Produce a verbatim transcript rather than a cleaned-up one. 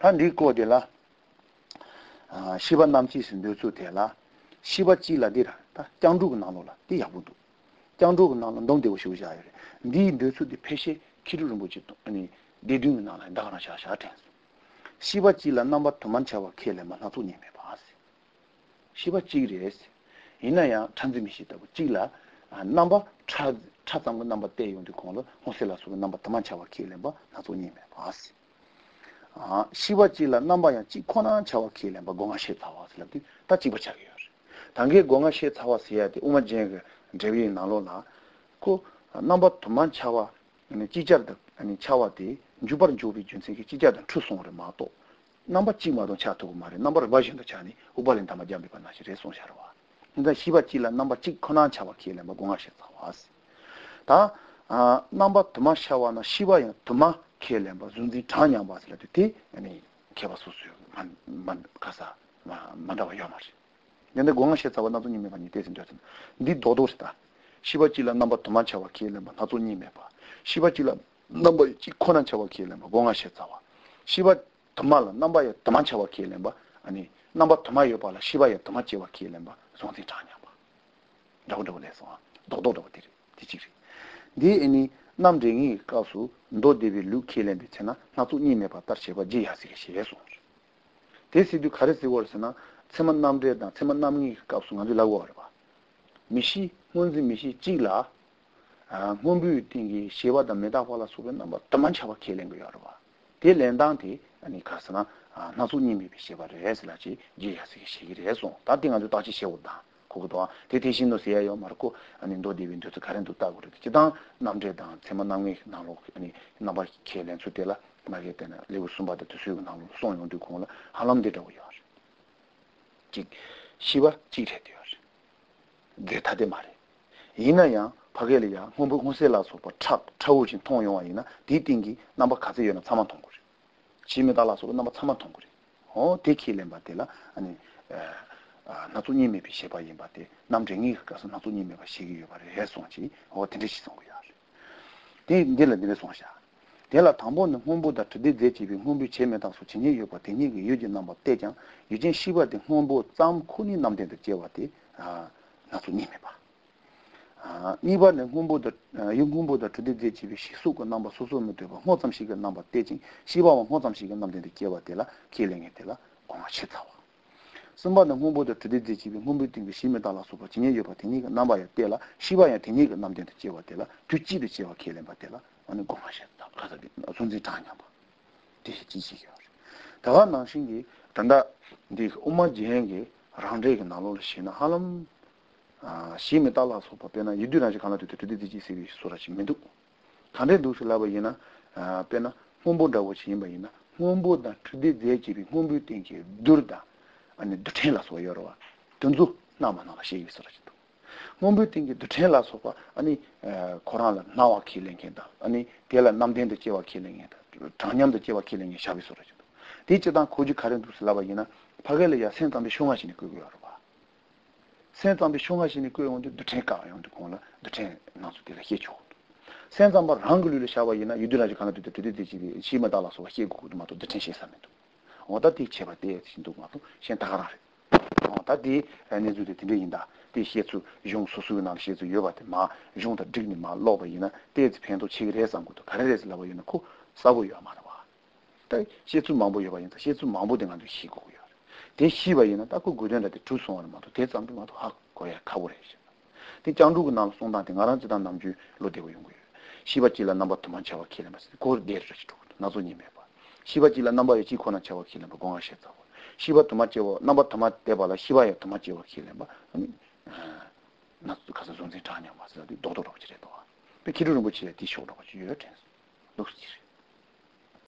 한 리코데라 아 시바 남치 신도수 되라 시바 찌라디라 다 장주고 나노라 디야부도 장주고 나노 농대고 쇼자야 니 ndö수디 패시 키르를 뭐지 아니 디딩 나나 나가나 샤샤테 시바 찌라 넘버 도만차와 켈레만 나도 님에 봐세 시바 찌리에스 이나야 찬즈미시다고 찌라 넘버 차 차장고 넘버 대용도 공로 호셀라수 넘버 도만차와 켈레바 나도 님에 봐세 아 시바지라 넘버야 지코나 차와 킬렘바 공아셰 타와슬라디 다 지버차게요 당게 공아셰 타와스야디 우마제가 제비 나로나 고 넘버 두만 차와 아니 지자르다 아니 차와디 주버 조비 준세기 지자다 추송을 마도 넘버 지마도 차토고 말에 넘버 버전도 차니 우발린 담아 잠비가 나시 레송샤르와 근데 시바지라 넘버 지코나 차와 킬렘바 공아셰 타와스 다아 넘버 두만 차와나 시바야 두마 켈렘바 준디 타냐 바슬라티 아니 케바소스 만만 가사 만다와 요마시 근데 공항시 잡아 나도 님에 많이 대신 줬어 니 도도스다 시바질라 넘버 도만차와 켈렘바 나도 님에 봐 시바질라 넘버 지코난 차와 켈렘바 공항시 잡아 시바 도말라 넘버에 도만차와 켈렘바 아니 넘버 도마요 봐라 시바에 도마치와 켈렘바 준디 타냐 봐 도도도래서 도도도 되지 지지 니 아니 남쟁이 가수 노데비 루켈렌데 채나 나도 님에 봤다 제가 지하시게 시에서 대시도 가르치 월스나 세만 남데다 세만 남이 가수 가지라고 알아봐 미시 뭔지 미시 찌라 아 뭔비 띵기 시바다 메다발라 소변 남아 담만 차바 켈렌 거 알아봐 대렌당티 아니 가스나 아 나도 님이 시바를 해서라지 지하시게 시기래서 다 띵아도 다시 세웠다 그것도 대대신도 세요 말고 아니 노디빈도 가렌도 따고 그러지 기타 남제다 세만남이 나로 아니 나바 켈렌 수텔라 마게테나 레우숨바도 수고 나로 송용도 공라 할람데도요 지 시바 지테요 데타데 말이 이나야 파겔이야 홍보 공세라서 차 차우진 통용아이나 디띵기 나바 가세요나 사만 통고리 지메달라서 나바 사만 통고리 어 데킬렌 바텔라 아니 아 나도님이 비셔봐 임바데 남쟁이 가서 나도님이 봐 시기요 바래 해송지 어 된듯이 송고야 데 인데라 데레 송샤 데라 담보는 홍보다 드데 제집이 홍보 체면다서 진이 요바 되니게 유진 넘버 대장 유진 시바데 홍보 짬 코니 남된데 제와데 아 나도님이 봐아 이번에 홍보다 용홍보다 드데 제집이 시수고 넘버 소소면 되고 호점시가 넘버 대진 시바원 호점시가 남된데 제와데라 킬링에데라 공화치타와 선반의 홍보도 드디어 집에 홍보된 게 심에 따라서 봐 진행 여바 되니까 남아야 되라 시바야 되니까 남된테 제와 되라 뒤지도 제와 켈렘 받되라 어느 공하셨다 가서 손지 다냐 봐 뒤지 지시겨 다만 나신기 단다 네 엄마 지행게 라운드에 나로를 시나 할음 아 심에 따라서 봐 배나 유디나지 가나도 드디어 지시 소라치 메도 간데 도슬라바이나 아 배나 홍보다고 지임바이나 홍보다 드디어 집이 홍보된 게 dur다 아니 드텔라서 여러와 던주 나만나 시기 쓰러지도 몸부팅게 드텔라서 봐 아니 코란라 나와 킬링게다 아니 텔라 남된데 제와 킬링게다 당념도 제와 킬링게 샤비 쓰러지도 디치단 고지 가른도 슬라바이나 파겔이야 센tam비 숑하시니 그거 여러와 센tam비 숑하시니 그거 온데 드텔까 용도 공라 드텔 나서들 해줘 센tam바 랑글을 샤바이나 유드라지 가나도 드디지 시마달라서 해고도 마도 드텐시사면도 어다디 체바데 신도 마도 신 다가라래 어다디 에네주데 딘데인다 디시에츠 용 소수나 시에츠 여바데 마 용다 드니 마 로바이나 데즈 펜도 치그레상고도 가레레스 라바이나 코 사고요 마라와 데 시에츠 망보 여바인다 시에츠 망보 된간도 시고요 데 시바이나 딱고 고전데 투송하는 마도 대장도 마도 학 거야 가고래시 데 장주고 남 송다 등아란지단 남주 로데고 용고요 시바질라 넘버 투만 차와 킬레마스 고 데르지도 나조님에 시바질라 넘버에 지코나 차와 킬레마 공하셨다고 시바 토마체와 넘버 토마테 발라 시바에 토마체와 킬레마 아니 나 가서 존재 타냐 맞아 도도로 지래도 그 기르는 거지 디쇼로 가지고 이렇게 녹지